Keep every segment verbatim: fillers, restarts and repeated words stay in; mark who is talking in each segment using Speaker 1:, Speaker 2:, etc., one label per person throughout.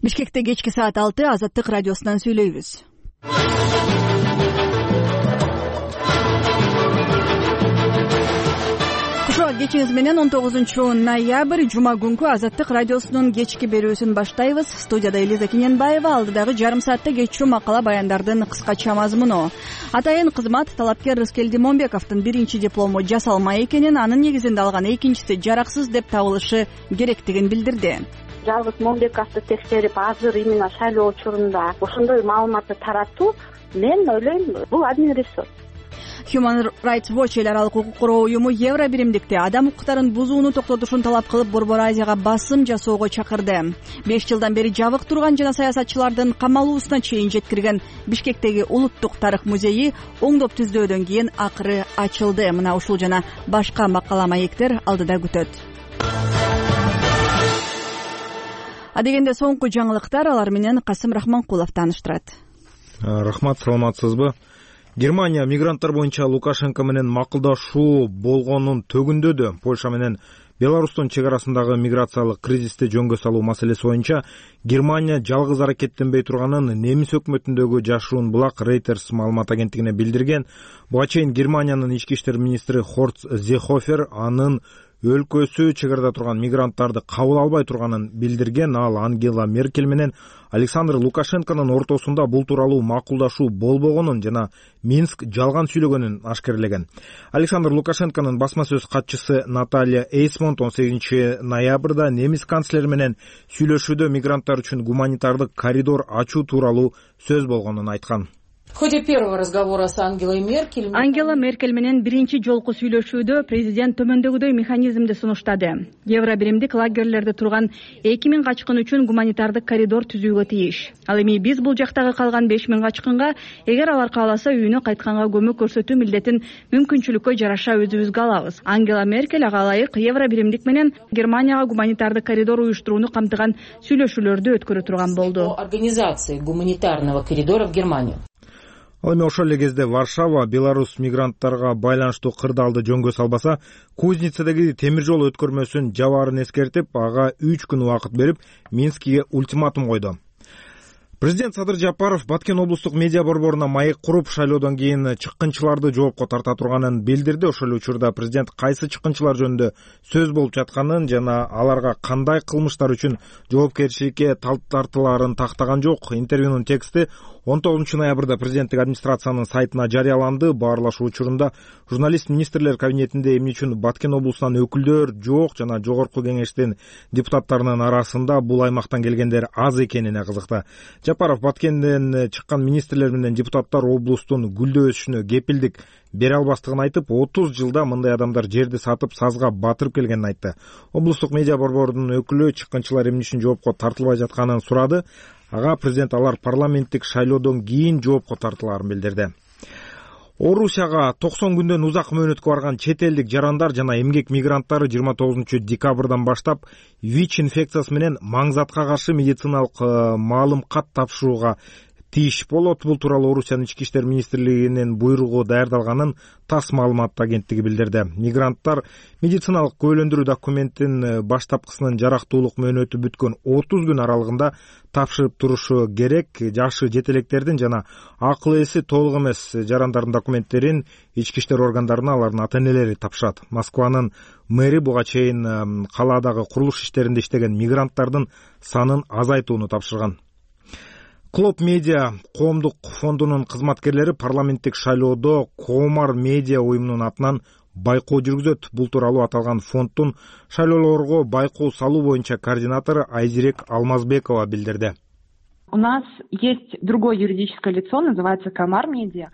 Speaker 1: Бишкекте кечки саат алты Азаттык радиосунан сүйлөйбүз. Кушо кечиңиз менен он тогузунчу ноябрь жума күнкү Азаттык радиосунун кечки берүүсүн баштайбыз. Студияда Элиза Кененбаева, алдыдагы жарым саатта кечүү макала баяндардын кыскача мазмуну. Атайын кызмат талапкер Рыскелди Момбековдун биринчи диплому жасалмай экенин, анын негизинде алган экинчиси жараксыз деп табылышы керектигин билдирди.
Speaker 2: Жалгыз Момбековду текшерип, азыр именно шайлоо учурунда ошондой маалыматты таратуу, мен ойлойм, бул админ ресурс.
Speaker 1: Human Rights Watch эл аралык укук короо уюму Евро биримдикте адам укуктарын бузууну токтотушун талап кылып, Борбор Азияга басым жасоого чакырды. беш жылдан бери жабык турган жана саясатчылардын камалуусуна чейин жеткирген Бишкектеги Улуттук тарых музейи оңдоп түздөөдөн кийин акыры ачылды. Мына ушул жана башка макала маектер алдыда күтөт. Адегенде соңку жаңылыктар, алар менен Касым Рахманкулов тааныштырат.
Speaker 3: Рахмат, саламатсызбы? Германия мигранттар боюнча Лукашенко менен макулдашуу болгонун төгүндөдү. Польша менен Беларустун чек арасындагы миграциялык кризисти жөнгө салуу маселеси боюнча Германия жалгыз аракеттенбей турганын немис өкмөтүндөгү жашыруун булак Reuters маалымат агенттигине билдирген. Буга чейин Германиянын ички иштер министри Хорст Зехофер анын өлкөсү чек арада турган мигранттарды кабыл албай турганын билдирген. Ал Ангела Меркель менен Александр Лукашенконун ортосунда бул тууралуу макулдашуу болбогонун жана Минск жалган сүйлөгөнүн ашкерлеген. Александр Лукашенконун басма сөз катчысы Наталья Эйсмонт он сегизинчи ноябрда немис канцлери менен сүйлөшүүдө мигранттар үчүн гуманитардык коридор ачуу тууралуу сөз болгонун айткан.
Speaker 4: В ходе первого разговора с Ангелой Меркель
Speaker 1: Ангела Меркель менен биринчи жолку сүйлөшүүдө президент төмөндөгүдөй механизмди сунуштады. Евро биримдик лагерлерде турган эки миң качкын үчүн гуманитардык коридор түзүүгө тийиш. Ал эми биз бул жактагы калган беш миң качкынга, эгер алар кааласа, үйүнө кайтканга көмөк көрсөтүү милдетин мүмкүнчүлүккө жараша өзүбүзгө алабыз. Ангела Меркель ага ылайык Евро биримдик менен Германияга гуманитардык коридор уюштурууну камтыган сүйлөшүүлөрдү өткөрө турган болду.
Speaker 4: Организации гуманитарного коридора в Германию.
Speaker 3: Ал эми ошол эле кезде Варшава Беларусь мигранттарга байланыштуу кырдаалды жөнгө салбаса, Кузницадагы темир жол өткөрмөсүн жабаарын эскертип, ага үч күн убакыт берип, Минскиге ультиматум койду. Президент Садыр Жапаров Баткен облустук медиа борборуна маек куруп, шайлоодон кийин чыккынчыларды жоопко тарта турганын билдирди. Ошол учурда президент кайсы чыккынчылар жөнүндө сөз болуп жатканын жана аларга кандай кылмыштар үчүн жоопкерчиликке тартылаарын тактаган жок. Интервьюнун тексти он тогузунчу ноябрда президенттик администрациянын сайтына жарыяланды. Баарлашуу учурунда журналист министрлер кабинетинде эмне үчүн Баткен облусунан өкүлдөр жок жана жогорку кеңештин депутаттарынын арасында бул аймактан келгендер аз экенине кызыкты. Жапаров Баткенден чыккан министрлер менен депутаттар облустун гүлдөө өсүшүнө кепилдик бере албастыгын айтып, отуз жылда мындай адамдар жерди сатып сазга батырып келгенин айтты. Облустук медиа борборунун өкүлү чыккынчылар эмне үчүн жоопко тартылбай жатканын сурады. Ага президент алар парламенттик шайлоодон кийин жоопко тартылаарын билдирди. Орусияга токсон күндөн узак мөөнөткө барган чет элдик жарандар жана эмгек мигранттары жыйырма тогузунчу декабрдан баштап ВИЧ инфекциясы менен маңзатка каршы медициналык маалым кат тапшырууга тийиш болот. Бул тууралуу Орусиянын ички иштер министрлигинин буйругу даярдалганын ТАСС маалымат агенттиги билдирди. Мигранттар медициналык күбөлөндүрүү документин баштапкысынын жарактуулук мөөнөтү бүткөн отуз күн аралыгында тапшырып турушу керек. Жашы жетелектердин жана акыл эси толук эмес жарандардын документтерин ички иштер органдарына алардын ата-энелери тапшырат. Москванын мэри буга чейин калаадагы курулуш иштеринде иштеген мигранттардын санын азайтууну тапшырган. Клоп Медиа коомдук фондунун кызматкерлери парламенттик шайлоодо Коомар медиа уюмунун атынан байкоо жүргүзөт. Бул тууралуу аталган фонддун шайлоолорго байкоо салуу боюнча координатору Айзирек Алмазбекова билдирди.
Speaker 5: У нас есть другое юридическое лицо, называется Коомар медиа.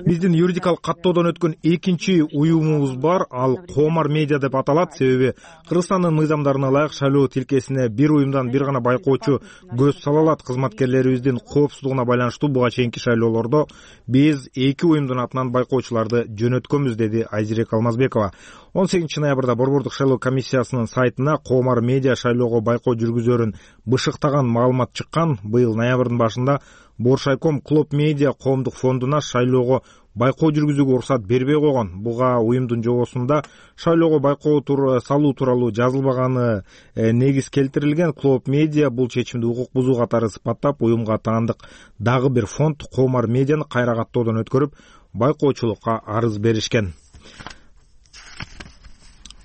Speaker 3: Биздин юридикалык каттоодон өткөн экинчи уюмубуз бар, ал Коомар медиа деп аталат. Себеби Кыргызстандын мыйзамдарына ылайык шайлоо тилкесине бир уюмдан бир гана байкоочу көз сала алат. Кызматкерлерибиздин коопсуздугуна байланыштуу буга чейинки шайлоолордо биз эки уюмдун атынан байкоочуларды жөнөткөнбүз, деди Айзирек Алмазбекова. он сегизинчи ноябрда борбордук шайлоо комиссиясынын сайтына Коомар медиа шайлоого байкоо жүргүзөрүн бышыктаган маалымат чыккан. Быйыл ноябрдын башында Боршайком Клоп Медиа коомдук фондуна шайлоого байкоо жүргүзүүгө уруксат бербей койгон. Буга уюмдун жобосунда шайлоого байкоо салуу тууралуу жазылбаганы негиз келтирилген. Клоп медиа бул чечимди укук бузуу катары сыпаттап, уюмга таандык дагы бир фонд Комар медианы кайра каттоодон өткөрүп, байкоочулукка арыз беришкен.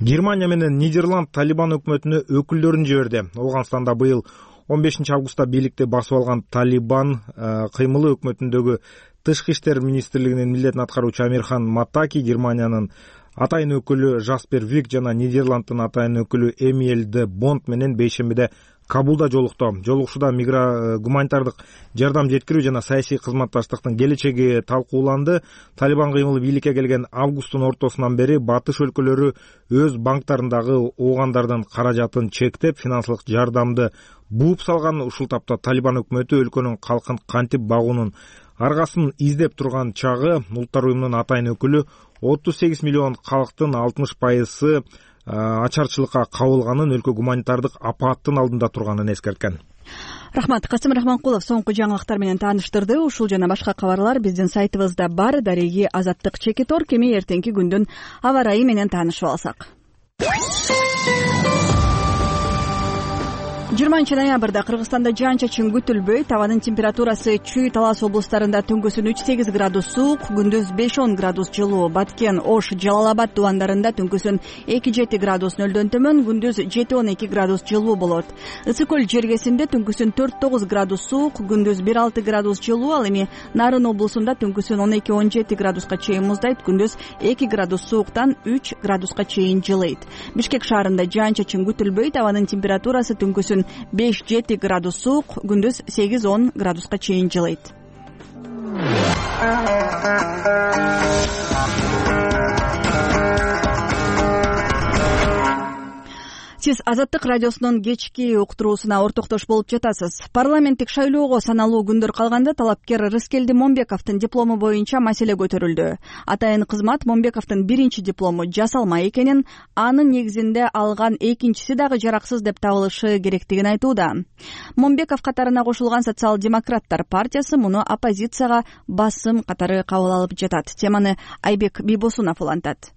Speaker 3: Германия менен Нидерланд Талибан өкмөтүнө өкүлдөрүн жиберди. Ооганстанда быйыл он бешинчи августта бийликти басып алган Талибан кыймылы өкмөтүндөгү тышкы иштер министрлигинин милдетин аткаруучу Амирхан Матаки, Германиянын атайын өкүлү Жаспер Вик жана Нидерланддын атайын өкүлү Эмиль де Бонд менен бейшембиде Кабулда жолукту. Жолугушууда мигра гуманитардык жардам жеткирүү жана саясий кызматташтыктын келечеги талкууланды. Талибан кыймылы бийликке келген августтун ортосунан бери батыш өлкөлөрү өз банктарындагы оогандардын каражатын чектеп, финансылык жардамды бууп салган. Ушул тапта Талибан өкмөтү өлкөнүн калкын кантип багуунун аргасын издеп турган чагы Улуттар уюмунун атайын өкүлү отуз сегиз миллион калктын алтымыш пайызы ачарчылыкка кабылганын, өлкө гуманитардык апааттын алдында турганын эскерткен.
Speaker 1: Рахмат. Касым Рахманкулов соңку жаңылыктар менен тааныштырды. Ушул жана башка кабарлар биздин сайтыбызда бар. Дареги Азаттык Чекитор. Кеми эртеңки күндүн аба ырайы менен таанышып алсак. жыйырманчы ноябрда Кыргызстанда жаан-чачын күтүлбөйт. Абанын температурасы Чүй, Талас облустарында түнкүсүн үч сегиз градус суук, күндүз беш он градус жылуу. Баткен, Ош, Жалал-Абад дубандарында түнкүсүн эки жети градус нөлдөн төмөн, күндүз жети он эки градус жылуу болот. Ысык көл жергесинде түнкүсүн төрт тогуз градус суук, күндүз бир алты градус жылуу. Ал эми Нарын облусунда түнкүсүн он эки он жети градуска чейин муздайт, күндүз эки градус сууктан үч градуска чейин жылыйт. Бишкек шаарында жаан-чачын күтүлбөйт. Абанын температурасы түнкүсүн беш жети градус суук, күндүз сегиз он градуска чейин жылыйт. Сиз Азаттык радиосунун кечки уктуруусуна ортоктош болуп жатасыз. Парламенттик шайлоого саналуу күндөр калганда талапкер Рыскелди Момбековдун диплому боюнча маселе көтөрүлдү. Атайын кызмат Момбековдун биринчи диплому жасалма экенин, анын негизинде алган экинчиси дагы жараксыз деп табылышы керектигин айтууда. Момбеков катарына кошулган Социал-демократтар партиясы муну оппозицияга басым катары кабыл алып жатат. Теманы Айбек Бийбосунов улантат.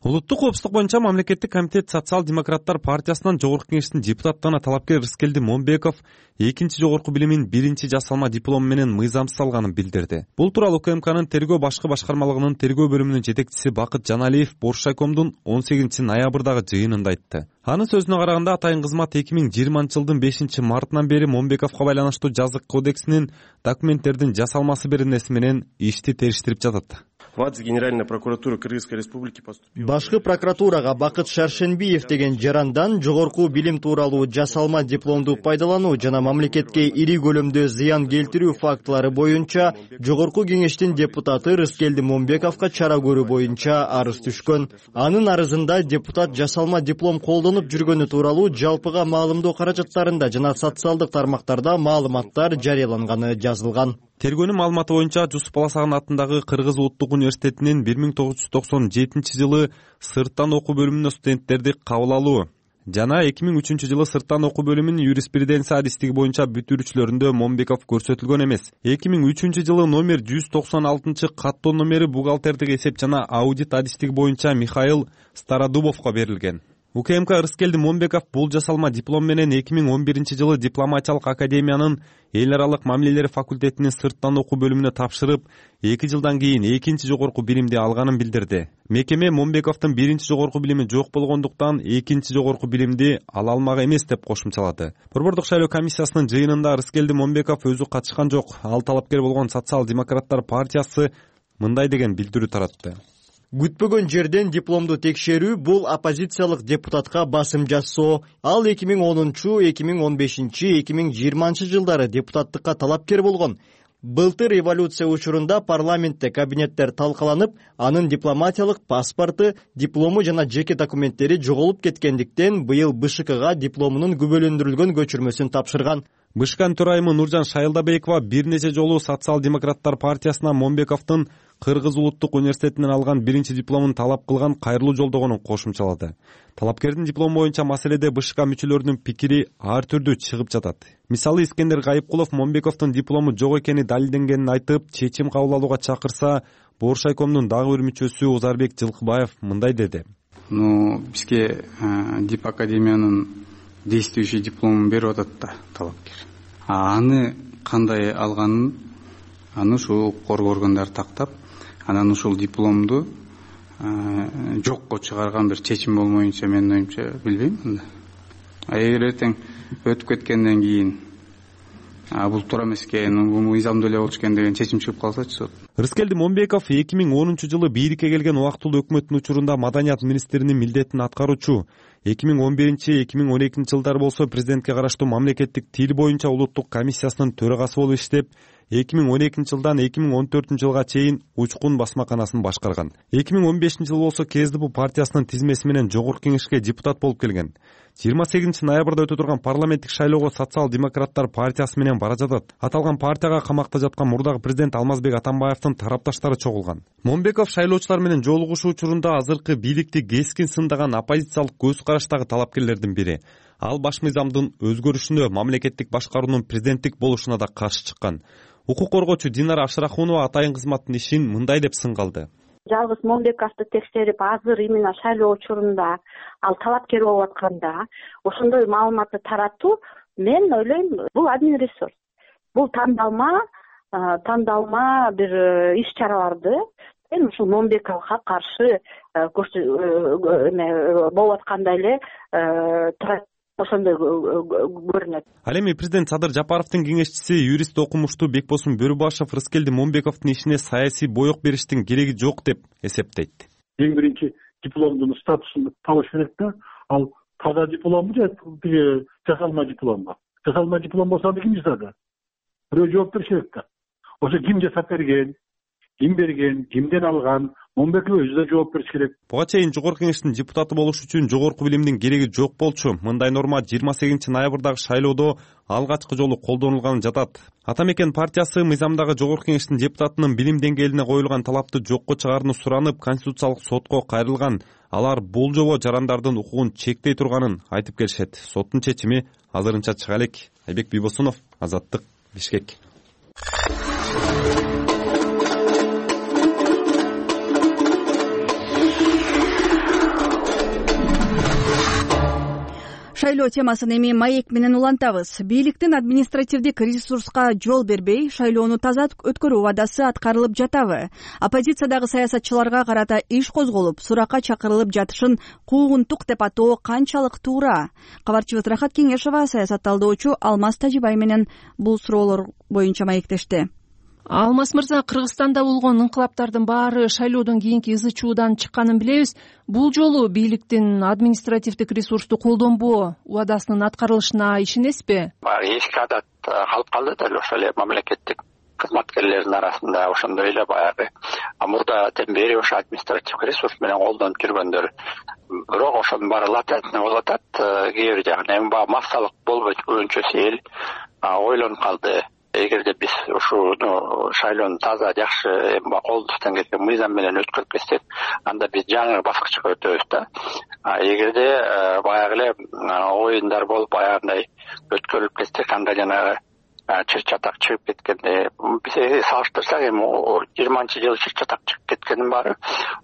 Speaker 6: Улуттук коопсуздук боюнча мамлекеттик комитет Социал-демократтар партиясынан жогорку кеңештин депутаттарына талапкер Рыскелди Момбеков экинчи жогорку билимин биринчи жасалма диплому менен мыйзамсыз алганын билдирди. Бул тууралуу УКМКнын тергөө башкы башкармалыгынын тергөө бөлүмүнүн жетекчиси Бакыт Жаналиев Боршайкомдун он сегизинчи ноябрдагы жыйынында айтты. Анын сөзүнө караганда, атайын кызмат эки миң жыйырманчы жылдын бешинчи мартынан бери Момбековго байланыштуу жазык кодексинин документтердин жасалмасы беренеси менен ишти териштирип жатат.
Speaker 7: В АДС Генеральной прокуратуры Кыргызской республики поступил.
Speaker 8: Башкы прокуратурага Бакыт Шаршенбиев деген жарандан жогорку билим тууралуу жасалма дипломду пайдалануу жана мамлекетке ири көлөмдө зыян келтирүү фактылары боюнча жогорку кеңештин депутаты Рыскелди Момбековго чара көрүү боюнча арыз түшкөн. Анын арызында депутат жасалма диплом колдонуп жүргөнү тууралуу жалпыга маалымдоо каражаттарында жана социалдык тармактарда маалыматтар жарыяланганы жазылган.
Speaker 6: Тергөөнүн маалыматы боюнча Жусуп Баласаган атындагы Кыргыз улуттук университетинин бир миң тогуз жүз токсон жетинчи жылы сырттан окуу бөлүмүнө студенттерди кабыл алуу жана эки миң үчүнчү жылы сырттан окуу бөлүмүнүн юриспруденция адистиги боюнча бүтүрүүчүлөрүндө Момбеков көрсөтүлгөн эмес. эки миң үчүнчү жылы номер жүз токсон алтынчы каттоо номери бухгалтердик эсеп жана аудит адистиги боюнча Михаил Стародубовго берилген. УКМК Рыскелди Момбеков бул жасалма диплом менен эки миң он биринчи жылы дипломатиялык академиянын эл аралык мамилелер факультетинин сырттан окуу бөлүмүнө тапшырып, эки жылдан кийин экинчи жогорку билимди алганын билдирди. Мекеме Момбековдун биринчи жогорку билими жок болгондуктан экинчи жогорку билимди ала алмак эмес деп кошумчалады. Борбордук шайлоо комиссиясынын жыйынында Рыскелди Момбеков өзү катышкан жок. Ал талапкер болгон Социал-демократтар партиясы мындай деген билдирүү таратты.
Speaker 8: Күтпөгөн жерден дипломду текшерүү бул оппозициялык депутатка басым жасоо. Ал эки миң онунчу, эки миң он бешинчи, эки миң жыйырманчы жылдары депутаттыкка талапкер болгон. Былтыр революция учурунда парламентте кабинеттер талкаланып, анын дипломатиялык паспорту, диплому жана жеке документтери жоголуп кеткендиктен быйыл БШКга дипломунун күбөлөндүрүлгөн көчүрмөсүн тапшырган.
Speaker 6: БШКнын төрайымы Нуржан Шайылдабекова бир нече жолу Социал-демократтар партиясына Момбековдун Кыргыз улуттук университетинен алган биринчи дипломун талап кылган кайрылуу жолдогонун кошумчалады. Талапкердин диплому боюнча маселеде БШК мүчөлөрүнүн пикири ар түрдүү чыгып жатат. Мисалы, Искендер Гайыпкулов Момбековдун диплому жок экени далилденгенин айтып, чечим кабыл алууга чакырса, Бооршайкомдун дагы бир мүчөсү Озарбек Жылкыбаев мындай деди.
Speaker 9: Ну, бизге Дип академиянын действующий дипломун берип атат да талапкер. А аны кандай алганын аны ушул коргоо органдары тактап, анан ушул дипломду жокко чыгарган бир чечим болмоюнча менин оюмча билбейм анда. А эгер эртең өтүп кеткенден кийин бул туура эмес экен, бул мыйзамдуу эле болчу экен деген чечим чыгып калсачы сот.
Speaker 6: Рыскелди Момбеков эки миң онунчу жылы бийликке келген убактылуу өкмөттүн учурунда маданият министринин милдетин аткаруучу. эки миң он биринчи эки миң он экинчи жылдары болсо президентке караштуу мамлекеттик тил боюнча улуттук комиссиясынын төрагасы болуп иштеп, эки миң он экинчи жылдан эки миң он төртүнчү жылга чейин Учкун басмаканасын башкарган. эки миң он бешинчи жылы болсо КСДП партиясынын тизмеси менен жогорку кеңешке депутат болуп келген. жыйырма сегизинчи ноябрда өтө турган парламенттик шайлоого социал-демократтар партиясы менен бара жатат. Аталган партияга камакта жаткан мурдагы президент Алмазбек Атамбаевдин тарапташтары чогулган. Момбеков шайлоочулар менен жолугушуу учурунда азыркы бийликти кескин сындаган оппозициялык көз караштагы талапкерлердин бири. Ал баш мыйзамдын өзгөрүшүнө, мамлекеттик башкаруунун президенттик болушуна да каршы чыккан. Укук коргоочу Динара Абшырахунова атайын кызматтын ишин мындай деп сынгалды.
Speaker 2: Жалгыз Момбековду текшерип, азыр именно шайлоо учурунда ал талапкер болуп атканда ошондой маалыматты таратуу, мен ойлойм, бул админ ресурс. Бул тандалма, тандалма бир иш-чараларды мен ушул Момбековго каршы болуп аткандай эле ошондой көрүнөт.
Speaker 6: Ал эми президент Садыр Жапаровдун кеңешчиси, юрист окумуштуу Бекбосун Бөрүбашев Рыскелди Момбековдун ишине саясий боек бериштин кереги жок деп эсептейт.
Speaker 10: Эң биринчи дипломдун статусун табыш керек да, ал таза дипломбу же жасалма дипломбу? Жасалма диплом болсо аны ким жасады? Бирөө жооп бериш керек да. Ошо ким жасап берген, ким берген, кимден алган, Момбеков өзү да жооп бериш керек.
Speaker 6: Буга чейин жогорку кеңештин депутаты болуш үчүн жогорку билимдин кереги жок болчу. Мындай норма жыйырма сегизинчи ноябрдагы шайлоодо алгачкы жолу колдонулган жатат. Атамекен партиясы мыйзамдагы жогорку кеңештин депутатынын билим деңгээлине коюлган талапты жокко чыгарууну суранып, конституциялык сотко кайрылган. Алар бул жобо жарандардын укугун чектей турганын айтып келишет. Соттун чечими азырынча чыга элек. Айбек Бийбосунов, Азаттык, Бишкек.
Speaker 1: Шайлоо темасын эми маек менен улантабыз. Бийликтин административдик ресурска жол бербей, шайлоону таза өткөрүү убадасы аткарылып жатабы? Оппозициядагы саясатчыларга карата иш козголуп, суракка чакырылып жатышын куугунтук деп атоо канчалык туура? Кабарчыбыз Рахат Кеңешова саясат талдоочу Алмаз Тажибай менен бул суроолор боюнча маектешти.
Speaker 11: Алмаз мырза, Кыргызстанда болгон инкылаптардын баары шайлоодон кийинки ызы чуудан чыкканын билебиз. Бул жолу бийликтин административдик ресурсту колдонбоо убадасынын аткарылышына ишенесизби?
Speaker 12: Эски адат калып калды да, ошол эле мамлекеттик кызматкерлердин арасында ошондой эле баягы мурдатен бери ошо административдик ресурс менен колдонуп жүргөндөр. Бирок ошонун баары латентный болуп атат. Кээ бир жагынан эми баягы массалык болбойчу эл ойлонуп калды. Эгерде биз ушуну шайлоону таза жакшы колдуктан кеткен мыйзам менен өткөрүп кетсек, анда биз жаңы баскычка өтөбүз да. Эгерде баягы эле оюндар болуп баягындай өткөрүлүп кетсек, анда жанагы чыр чатак чыгып кеткенде биз салыштырсак, эми жыйырманчы жылы чыр чатак чыгып кеткенин баары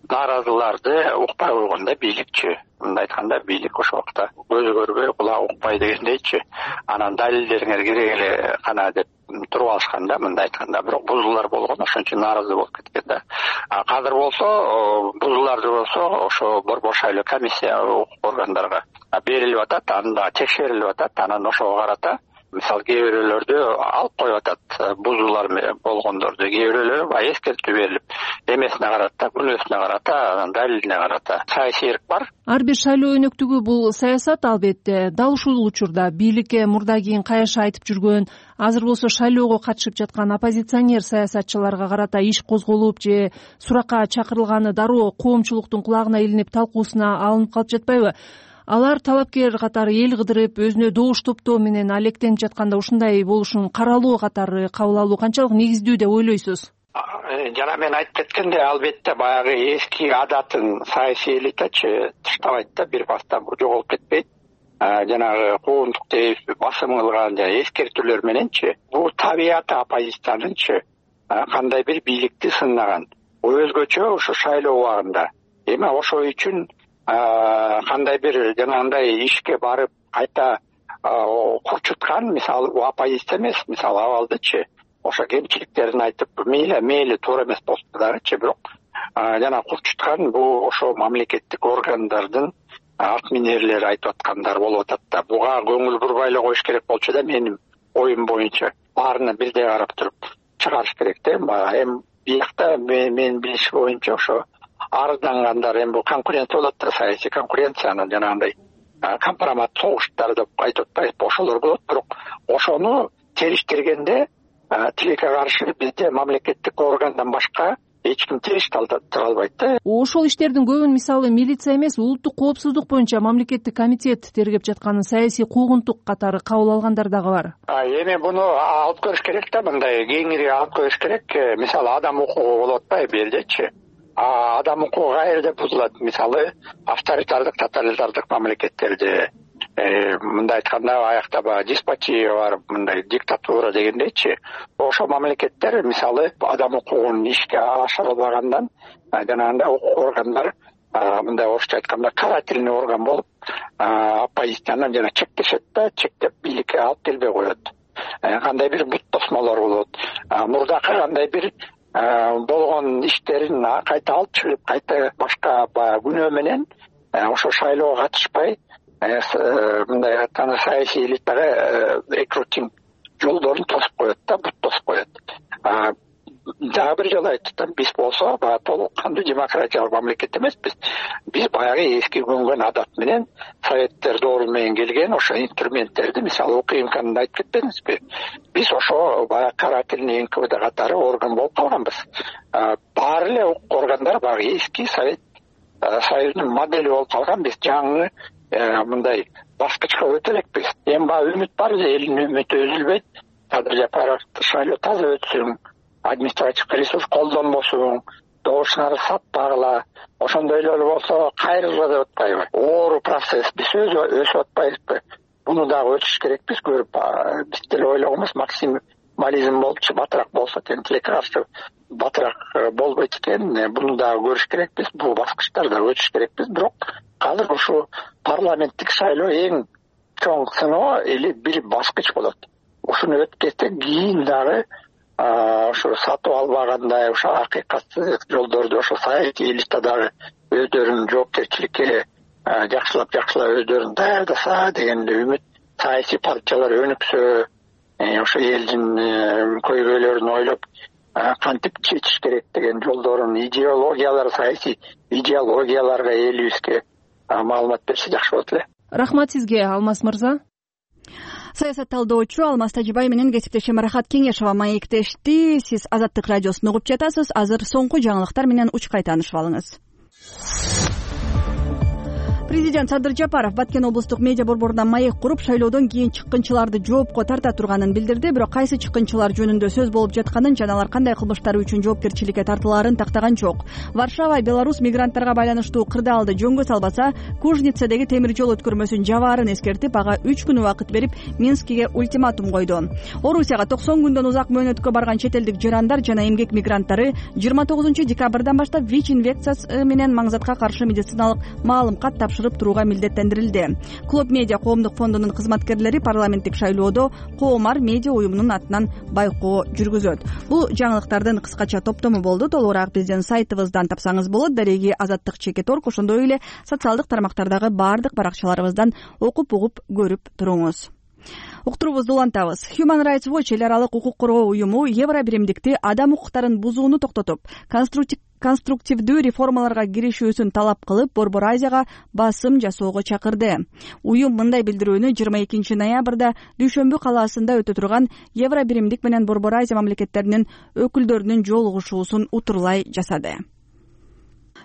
Speaker 12: нааразыларды укпай койгондо бийликчи. Мындай айтканда, бийлик ошол убакта көзү көрбөй, кулагы укпай дегендейчи. Анан далилдериңер керек эле кана деп туруп алышкан да, мындай айтканда. Бирок бузуулар болгон, ошон үчүн нааразы болуп кеткен да. Азыр болсо, бузууларды болсо, ошо борбор шайлоо комиссия органдарга берилип атат, анда текшерилип атат, анан ошого карата мисалы кээ бирөөлөрдү алып коюп атат, бузуулар болгондорду. Кээ бирөөлөрү баягы эскертүү берилип, эмесине карата, күнөөсүнө карата, далилине карата саясий эрк бар.
Speaker 11: Ар бир шайлоо өнөктүгү бул саясат албетте. Дал ушул учурда бийликке мурда кийин каяша айтып жүргөн, азыр болсо шайлоого катышып жаткан оппозиционер саясатчыларга карата иш козголуп же суракка чакырылганы дароо коомчулуктун кулагына илинип, талкуусуна алынып калып жатпайбы? Алар талапкер катары эл кыдырып, өзүнө добуш топтоо менен алектенип жатканда ушундай болушун каралоо катары кабыл алуу канчалык негиздүү деп ойлойсуз?
Speaker 12: Жана мен айтып кеткендей, албетте баягы эски адатын саясий элитачы таштабайт да, бир баста жоголуп кетпейт. Жанагы куугунтук дейбизби, басым кылган жана эскертүүлөр мененчи, бул табияты оппозициянынчы кандай бир бийликти сынаган. өзгөчө ушу шайлоо убагында. Эми ошол үчүн кандай бир жанагындай ишке барып кайта курчуткан мисалы оппозиция эмес, мисалы абалдычы ошо кемчиликтерин айтып мейли мейли туура эмес болсо дагычы, бирок жана курчуткан бул ошо мамлекеттик органдардын атминерлери айтып аткандар болуп атат да. Буга көңүл бурбай эле коюш керек болчу да, менин оюм боюнча баарына бирдей карап туруп чыгарыш керек да. Эми биякта менин билишим боюнча ошо арыздангандар, эми бул конкуренция болот да, саясий конкуренцияны жанагындай компромат согуштар деп айтып атпайбызбы, ошолор болот. Бирок ошону териштиргенде тилекке каршы бизде мамлекеттик органдан башка эч ким териш тура албайт да.
Speaker 11: Ошол иштердин көбүн мисалы милиция эмес, улуттук коопсуздук боюнча мамлекеттик комитет тергеп жатканын саясий куугунтук катары кабыл алгандар дагы бар.
Speaker 12: Эми буну алып көрүш керек да, мындай кеңири алып көрүш керек. Мисалы адам укугу болуп атпайбы бул жердечи. Адам укугу каерде бузулат? Мисалы авторитардык, тоталитардык мамлекеттерде, мындай айтканда аякта баягы деспотия бар, мындай диктатура дегендейчи. Ошол мамлекеттер мисалы адам укугун ишке ашырылбагандан жанагындай укук органдар мындай орусча айтканда карательный орган болуп оппозицияны жана чектешет да, чектеп бийликке алып келбей коет. Кандай бир бут тосмолор болот. Мурдакы кандай бир болгон иштерин кайта алып чыгып, кайта башка баягы күнөө менен ошо шайлоого катышпай мындай айтканда саясий элитага рекрутинг жолдорун тосуп коет да, бут тосуп коет. Дагы бир жолу айттым, биз болсо баягы толук кандуу демократиялык мамлекет эмеспиз. Биз баягы эски көнгөн адат менен советтер доору менен келген ошо инструменттерди, мисалы УКМКны айтып кетпедиңизби? Биз ошо баягы карательный эн ка вэ дэ катары орган болуп калганбыз. Баары эле укук органдар баягы эски совет союзунун модели болуп калган. Биз жаңы мындай баскычка өтө элекпиз. Эми баягы үмүт бар, элдин үмүтү үзүлбөйт. Кадыр Жапаров шайлоо таза өтсүн, административдик ресурс колдонбосун, добушуңарды сатпагыла. Ошондой эле болсо кайрылгыла деп атпайбы? Оору процесс биз өсүп атпайбызбы? Буну дагы өтүш керекпиз көрүп. Биз деле ойлогонбуз, максимализм болчу батыраак болсо тең тилекке каршы батыраак болбойт экен. Буну дагы көрүш керекпиз, бул баскычтарда өтүш керекпиз. Бирок азыр ушу парламенттик шайлоо эң чоң сыноо или бир баскыч болот. Ушуну өтүп кетсек, кийин дагы ошо сатып албагандай, ошо акыйкатсыз жолдорду ошо саясий элита дагы өздөрүнүн жоопкерчиликке жакшылап жакшылап өздөрүн даярдаса деген үмүт, саясий партиялар өнүксө, ошо элдин көйгөйлөрүн ойлоп кантип чечиш керек деген жолдорун, идеологиялар, саясий идеологияларга элибизге маалымат берсе жакшы болот эле.
Speaker 11: Рахмат сизге, Алмаз мырза.
Speaker 1: Саясат талдоочу Алмаз Тажибай менен кесиптешим Рахат Кеңешова маектешти. Сиз Азаттык радиосун угуп жатасыз. Азыр соңку жаңылыктар менен учкай таанышып алыңыз. Президент Садыр Жапаров Баткен облустук медиа борборунда маек куруп, шайлоодон кийин чыккынчыларды жоопко тарта турганын билдирди. Бирок кайсы чыккынчылар жөнүндө сөз болуп жатканын жана алар кандай кылмыштары үчүн жоопкерчиликке тартылаарын тактаган жок. Варшава Беларусь мигранттарга байланыштуу кырдаалды жөнгө салбаса, Кужницадагы темир жол өткөрмөсүн жабаарын эскертип, ага үч күн убакыт берип, Минскиге ультиматум койду. Орусияга токсон күндөн узак мөөнөткө барган чет элдик жарандар жана эмгек мигранттары жыйырма тогузунчу декабрдан баштап ВИЧ инфекциясы менен маңзатка каршы медициналык маалымкат тапшырып турууга милдеттендирилди. Клуб медиа коомдук фондунун кызматкерлери парламенттик шайлоодо Коомар медиа уюмунун атынан байкоо жүргүзөт. Бул жаңылыктардын кыскача топтому болду. Толугураак биздин сайтыбыздан тапсаңыз болот. Дареги Азаттык чекит орг, ошондой эле социалдык тармактардагы баардык баракчаларыбыздан окуп угуп көрүп туруңуз. Уктуруубузду улантабыз. Human Rights Watch эл аралык укук коргоо уюму Евро биримдикти адам укуктарын бузууну токтотуп, конструктивдүү реформаларга киришүүсүн талап кылып, Борбор Азияга басым жасоого чакырды. Уюм мындай билдирүүнү жыйырма экинчи ноябрда Дүйшөмбү калаасында өтө турган Евро биримдик менен Борбор Азия мамлекеттеринин өкүлдөрүнүн жолугушуусун утурлай жасады.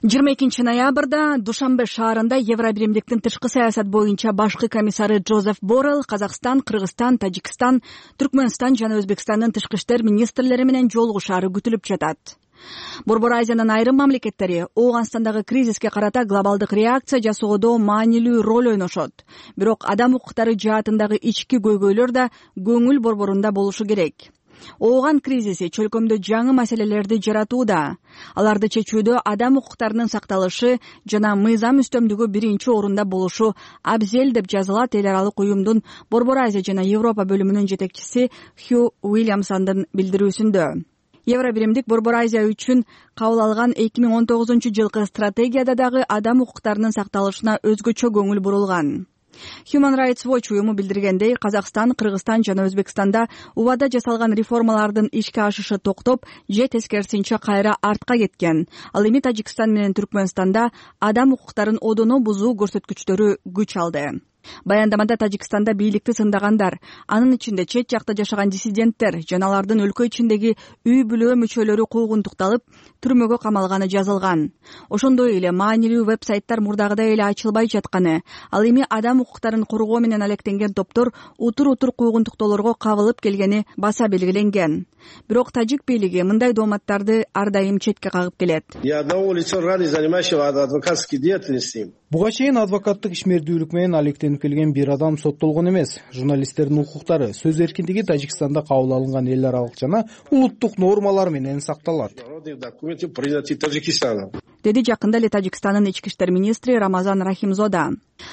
Speaker 1: жыйырма экинчи ноябрда Душанбе шаарында Евро биримдиктин тышкы саясат боюнча башкы комиссары Джозеф Боррелл Казакстан, Кыргызстан, Тажикстан, Түркмөнстан жана Өзбекстандын тышкы иштер министрлери менен жолугушаары күтүлүп жатат. Борбор Азиянын айрым мамлекеттери Ооганстандагы кризиске карата глобалдык реакция жасоодо маанилүү роль ойношот. Бирок адам укуктары жаатындагы ички көйгөйлөр да көңүл борборунда болушу керек. Ооган кризиси чөлкөмдө жаңы маселелерди жаратууда. Аларды чечүүдө адам укуктарынын сакталышы жана мыйзам үстөмдүгү биринчи орунда болушу абзел деп жазылат эл аралык уюмдун Борбор Азия жана Европа бөлүмүнүн жетекчиси Хью Уильямсондун билдирүүсүндө. Евробиримдик Борбор Азия үчүн кабыл алган эки миң он тогузунчу жылкы стратегияда дагы адам укуктарынын сакталышына өзгөчө көңүл бурулган. Human Rights Watch уюму билдиргендей, Казакстан, Кыргызстан жана Өзбекстанда убада жасалган реформалардын ишке ашышы токтоп, же тескерисинче кайра артка кеткен. Ал эми Тажикстан менен Түркмөнстанда адам укуктарын одоно бузуу көрсөткүчтөрү күч алды. Баяндамада Тажикстанда бийликти сындагандар, анын ичинде чет жакта жашаган диссиденттер жана алардын өлкө ичиндеги үй бүлө мүчөлөрү куугунтукталып, түрмөгө камалганы жазылган. Ошондой эле маанилүү веб-сайттар мурдагыдай эле ачылбай жатканы, ал эми адам укуктарын коргоо менен алектенген топтор утур-утур куугунтуктоолорго кабылып келгени баса белгиленген. Бирок тажик бийлиги мындай дооматтарды ар дайым четке кагып келет.
Speaker 13: Буга чейин адвокаттык ишмердүүлүк менен алектенип келген бир адам соттолгон эмес. Журналисттердин укуктары, сөз эркиндиги Тажикстанда кабыл алынган эл аралык жана улуттук нормалар менен сакталат, деди жакында эле Тажикстандын ички иштер министри Рамазан Рахимзода.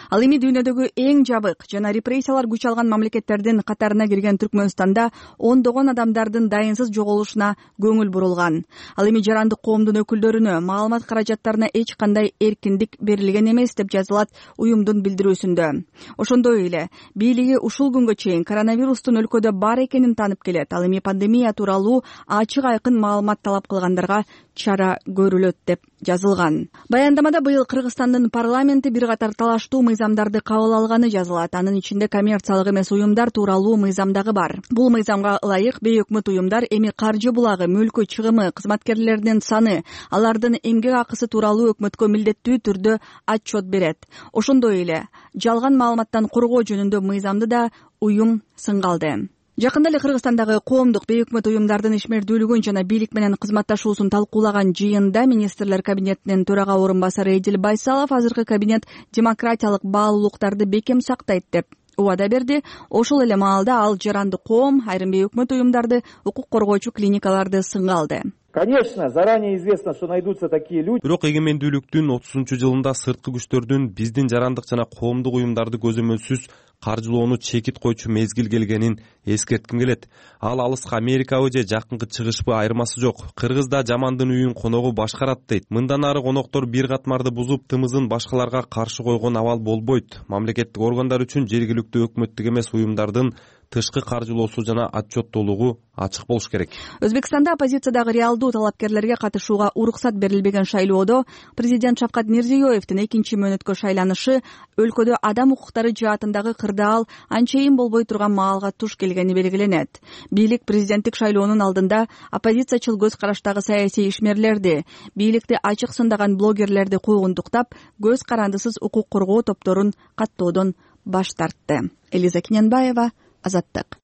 Speaker 13: Ал эми дүйнөдөгү эң жабык жана репрессиялар күч алган мамлекеттердин катарына кирген Түркмөнстанда ондогон адамдардын дайынсыз жоголушуна көңүл бурулган. Ал эми жарандык коомдун өкүлдөрүнө маалымат каражаттарына эч кандай эркиндик берилген эмес деп жазылат уюмдун билдирүүсүндө. Ошондой эле бийлиги ушул күнгө чейин коронавирустун өлкөдө бар экенин таанып келет. Ал эми пандемия тууралуу ачык айкын маалымат талап кылгандарга чара көрүлөт деп жазылган. Баяндамада быйыл Кыргызстандын парламенти бир катар талаштуу мыйзамдарды кабыл алганы жазылат. Анын ичинде коммерциялык эмес уюмдар тууралуу мыйзам дагы бар. Бул мыйзамга ылайык бейөкмөт уюмдар эми каржы булагы, мүлкү, чыгымы, кызматкерлеринин саны, алардын эмгек акысы тууралуу өкмөткө милдеттүү түрдө отчет берет. Ошондой эле жалган маалыматтан коргоо жөнүндө мыйзамды да уюм сынга алды. Жакында эле Кыргызстандагы коомдук бейөкмөт уюмдардын ишмердүүлүгүн жана бийлик менен кызматташуусун талкуулаган жыйында министрлер кабинетинин төрага орун басары Эдил Байсалов азыркы кабинет демократиялык баалуулуктарды бекем сактайт деп убада берди. Ошол эле маалда ал жарандык коом, айрым бейөкмөт уюмдарды, укук коргоочу клиникаларды сынга алды.
Speaker 14: Конечно, заранее известно, что найдутся такие люди.
Speaker 6: Бирок эгемендүүлүктүн отузунчу жылында сырткы күчтөрдүн биздин жарандык жана коомдук уюмдарды көзөмөлсүз каржылоону чекит койчу мезгил келгенин эскертким келет. Ал алыска Америкабы же жакынкы чыгышпы айырмасы жок. Кыргыз да жамандын үйүн коногу башкарат дейт. Мындан ары коноктор бир катмарды бузуп, тымызын башкаларга каршы койгон абал болбойт. Мамлекеттик органдар үчүн жергиликтүү өкмөттүк эмес уюмдардын тышкы каржылоосу жана отчеттуулугу ачык болуш керек.
Speaker 1: Өзбекстанда оппозициядагы реалдуу талапкерлерге катышууга уруксат берилбеген шайлоодо президент Шавкат Мирзиёевдин экинчи мөөнөткө шайланышы өлкөдө адам укуктары жаатындагы кырдаал анчейин болбой турган маалга туш келгени белгиленет. Бийлик президенттик шайлоонун алдында оппозициячыл көз караштагы саясий ишмерлерди, бийликти ачык сындаган блогерлерди куугунтуктап, көз карандысыз укук коргоо топторун каттоодон баш тартты. Элиза Киненбаева, Азаттык.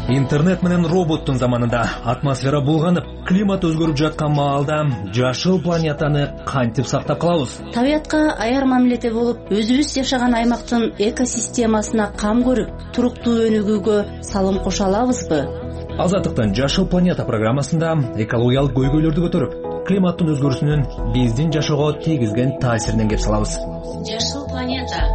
Speaker 15: Интернет менен роботтун заманында атмосфера булганып, климат өзгөрүп жаткан маалда жашыл планетаны кантип сактап калабыз?
Speaker 16: Табиятка аяр мамиледе болуп, өзүбүз жашаган аймактын экосистемасына кам көрүп, туруктуу өнүгүүгө салым кошо алабызбы?
Speaker 15: Азаттыктын Жашыл планета программасында экологиялык көйгөйлөрдү көтөрүп, климаттын өзгөрүүсүнүн биздин жашоого тийгизген таасиринен кеп салабыз.
Speaker 16: Жашыл планета.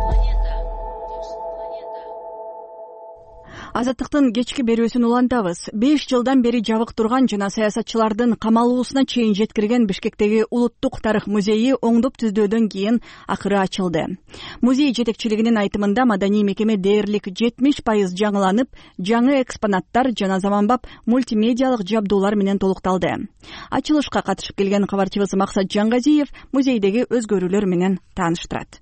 Speaker 1: Азаттыктын кечки берүүсүн улантабыз. беш жылдан бери жабык турган жана саясатчылардын камалуусуна чейин жеткирген Бишкектеги Улуттук тарых музейи оңдоп түздөөдөн кийин акыры ачылды. Музей жетекчилигинин айтымында маданий мекеме дээрлик жетимиш пайыз жаңыланып, жаңы экспонаттар жана заманбап мультимедиалык жабдуулар менен толукталды. Ачылышка катышып келген кабарчыбыз Максат Жангазиев музейдеги өзгөрүүлөр менен тааныштырат.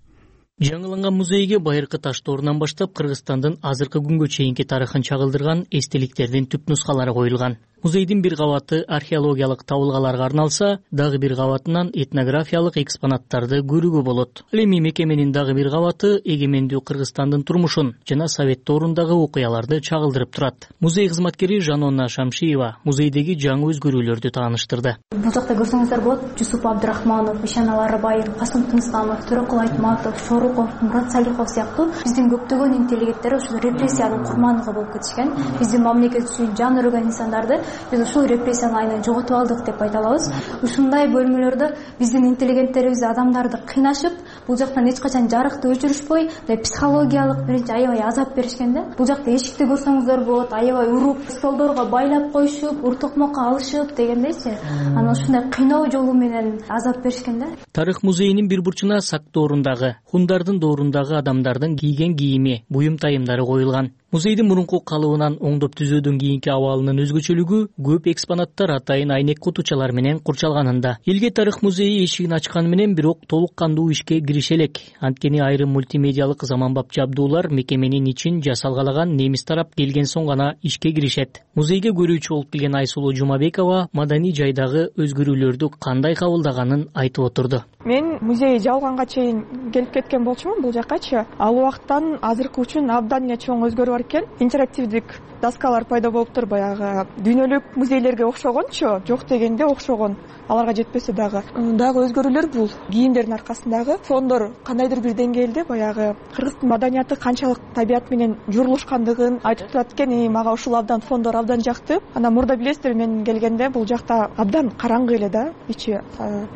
Speaker 17: Жаңыланган музейге байыркы таш доорунан баштап Кыргызстандын азыркы күнгө чейинки тарыхын чагылдырган эстеликтердин түп нускалары коюлган. Музейдин бир кабаты археологиялык табылгаларга арналса, дагы бир кабатынан этнографиялык экспонаттарды көрүүгө болот. Ал эми мекеменин дагы бир кабаты эгемендүү Кыргызстандын турмушун жана Совет доорундагы окуяларды чагылдырып турат. Музей кызматкери Жанона Шамшиева музейдеги жаңы өзгөрүүлөрдү тааныштырды.
Speaker 18: Бул жакта көрсөңүздөр болот, Жусуп Абдрахманов, Ишан Аларбаев, Касым Тынысханов, Төрөкул Айтматов, Шоруков, Мурат Салихов сыяктуу биздин көптөгөн интеллигенттер ушул репрессиянын курмандыгы болуп кетишкен. Биздин мамлекет үчүн жан өргөн инсандарды биз ушул репрессиянын айынан жоготуп алдык деп айта алабыз. Ушундай бөлмөлөрдө биздин интеллигенттерибиз адамдарды кыйнашып, бул жактан эч качан жарыкты өчүрүшпөй, психологиялык биринчи аябай азап беришкен да. Бул жакта эшикти көрсөңүздөр болот, аябай уруп, столдорго байлап коюшуп, ур токмокко алышып дегендейчи. Анан ушундай кыйноо жолу менен азап беришкен да.
Speaker 17: Тарых музейинин бир бурчуна Сак доорундагы, Хундардын доорундагы адамдардын кийген кийими, буюм тайымдары коюлган. Музейдин мурунку калыбынан оңдоп түзөөдөн кийинки абалынын өзгөчөлүгү көп экспонаттар атайын айнек кутучалар менен курчалганында. Элге тарых музейи эшигин ачканы менен бирок толук кандуу ишке кирише элек. Анткени айрым мультимедиалык заманбап жабдуулар мекеменин ичин жасалгалаган немис тарап келген соң гана ишке киришет. Музейге көрүүчү болуп келген Айсулуу Жумабекова маданий жайдагы өзгөрүүлөрдү кандай кабылдаганын айтып отурду.
Speaker 19: Мен музей жабылганга чейин келип кеткен болчумун бул жаккачы. Ал убакыттан азыркы үчүн абдан эле чоң өзгөрүү бар экен. Интерактивдик доскалар пайда болуптур, баягы дүйнөлүк музейлерге окшогончу, жок дегенде окшогон. Аларга жетпесе дагы. Дагы өзгөрүүлөр бул кийимдердин аркасындагы фондор кандайдыр бир деңгээлде баягы кыргыздын маданияты канчалык табият менен журулушкандыгын айтып турат экен. И мага ушул абдан фондор абдан жакты. Анан мурда билесиздер, мен келгенде бул жакта абдан караңгы эле да ичи.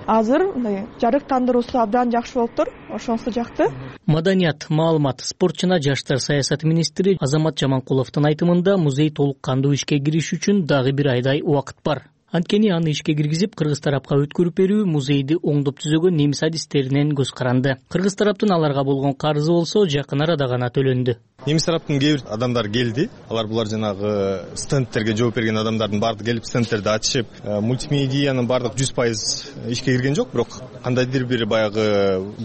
Speaker 19: Азыр мындай жарык тандыруусу абдан жакшы болуптур. Ошонусу жакты.
Speaker 17: Маданият, маалымат, спорт жана жаштар саясаты министри Азамат Жаманкуловдун айтымында музей толук кандуу ишке кириш үчүн дагы бир айдай убакыт бар. Анткени аны ишке киргизип, кыргыз тарапка өткөрүп берүү музейди оңдоп түзөгөн немис адистеринен көз каранды. Кыргыз тараптын аларга болгон карызы болсо жакын арада гана төлөндү.
Speaker 20: Немис тараптын кээ бир адамдар келди. Алар булар жанагы стендтерге жооп берген адамдардын баардыгы келип стендтерди ачышып, мультимедиянын баардык жүз пайыз ишке кирген жок, бирок кандайдыр бир баягы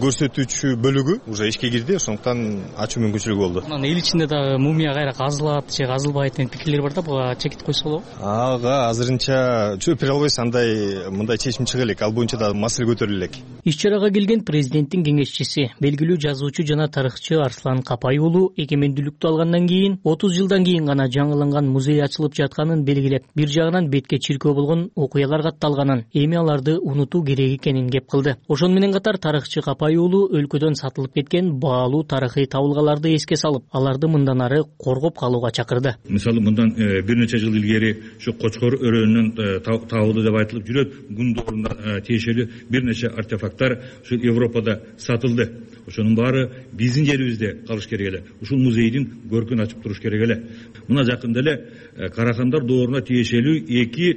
Speaker 20: көрсөтүүчү бөлүгү уже ишке кирди, ошондуктан ачуу мүмкүнчүлүгү болду.
Speaker 17: Анан эл ичинде дагы мумия кайра казылат же казылбайт деген пикирлер бар да, буга чекит койсо болобу?
Speaker 20: Ага, азырынча чөптөр албайбыз, андай мындай чечим чыга элек, ал боюнча да маселе көтөрүлө элек.
Speaker 17: Иш-чарага келген президенттин кеңешчиси, белгилүү жазуучу жана тарыхчы Арслан Капай уулу эгемендүүлүктү алгандан кийин отуз жылдан кийин гана жаңыланган музей ачылып жатканын белгилеп, бир жагынан бетке чиркөө болгон окуялар катталганын, эми аларды унутуу керек экенин кеп кылды. Ошону менен катар тарыхчы Капай уулу өлкөдөн сатылып кеткен баалуу тарыхый табылгаларды эске салып, аларды мындан ары коргоп калууга чакырды.
Speaker 21: Мисалы, мындан бир нече жыл илгери ушу Кочкор өрөөнүнөн табылды деп айтылып жүрөт. Гун дооруна тиешелүү бир нече артефакттар ушул Европада сатылды. Ошонун баары биздин жерибизде калыш керек эле. Ушул музейдин көркүн ачып туруш керек эле. Мына жакында эле Карахандар дооруна тиешелүү эки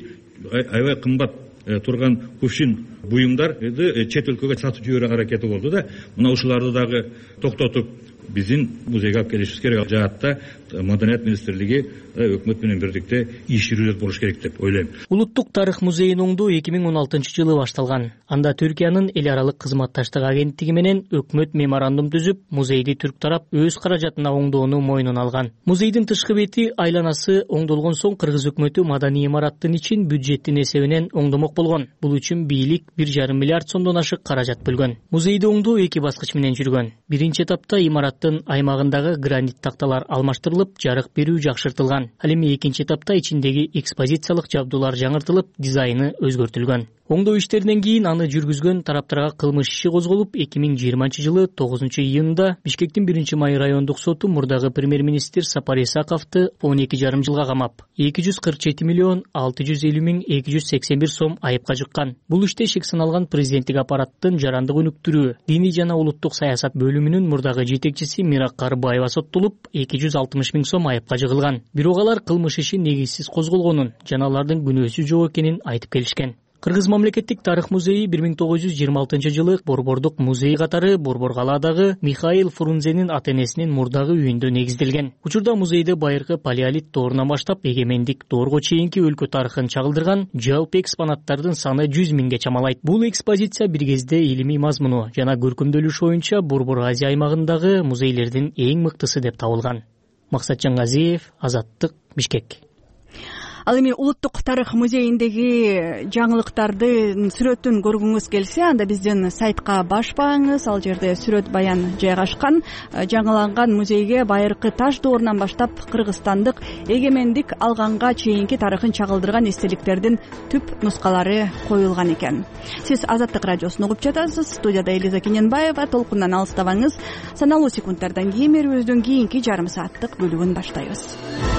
Speaker 21: аябай кымбат турган кувшин буюмдарды чет өлкөгө сатып жиберүү аракети болду да. Мына ушуларды дагы токтотуп биздин музейге алып келишибиз керек. Жаатта Маданият министрлиги өкмөт менен бирдикте иш жүргүзүп болуш керек деп ойлойм.
Speaker 17: Улуттук тарых музейин оңдоо эки миң он алтынчы жылы башталган. Анда Түркиянын эл аралык кызматташтык агенттиги менен өкмөт меморандум түзүп, музейди түрк тарап өз каражатына оңдоону мойнуна алган. Музейдин тышкы бети айланасы оңдолгон соң кыргыз өкмөтү маданий имараттын ичин бюджеттин эсебинен оңдомок болгон. Бул үчүн бийлик бир жарым миллиард сомдон ашык каражат бөлгөн. Музейди оңдоо эки баскыч менен жүргөн. Биринчи этапта имараттын аймагындагы гранит такталар алмаштырылып, жарык берүү жакшыртылган. Ал эми экинчи этапта ичиндеги экспозициялык жабдуулар жаңыртылып, дизайны өзгөртүлгөн. Оңдоо иштеринен кийин аны жүргүзгөн тараптарга кылмыш иши козголуп, эки миң жыйырманчы жылы тогузунчу июнда Бишкектин биринчи май райондук соту мурдагы премьер-министр Сапар Исаковду он эки жарым жылга камап, эки жүз кырк жети миллион алты жүз элүү миң эки жүз сексен бир сом айыпка жыккан. Бул иште шек саналган президенттик аппараттын жарандык өнүктүрүү, диний жана улуттук саясат бөлүмүнүн мурдагы жетекчиси Мирак Карыбаева соттолуп, эки жүз алтымыш миң сом айыпка жыгылган. Бирок алар кылмыш иши негизсиз козголгонун жана алардын күнөөсү жок экенин айтып келишкен. Кыргыз мамлекеттик тарых музейи бир миң тогуз жүз жыйырма алтынчы жылы Борбордук музей катары Борбор калаадагы Михаил Фрунзенин ата-энесинин мурдагы үйүндө негизделген. Учурда музейде байыркы палеолит доорунан баштап эгемендик доорго чейинки өлкө тарыхын чагылдырган жалпы экспонаттардын саны жүз миңге чамалайт. Бул экспозиция бир кезде илимий мазмуну жана көркөмдөлүш боюнча Борбор Азия аймагындагы музейлердин эң мыктысы деп табылган. Максат Жаңгазиев, Азаттык, Бишкек.
Speaker 13: ал эми улуттук тарых музейиндеги жаңылыктардын сүрөтүн көргүңүз келсе, анда биздин сайтка башпаңыз, ал жерде сүрөт баян жайгашкан. Жаңыланган музейге байыркы таш доорунан баштап кыргызстандык эгемендик алганга чейинки тарыхын чагылдырган эстеликтердин түп нускалары коюлган экен. Сиз Азаттык радиосун угуп жатасыз. Студияда Элиза Кененбаева. Толкундан алыстабаңыз. Саналуу секундтардан кийин берүүбүздүн кийинки жарым сааттык бөлүгүн баштайбыз.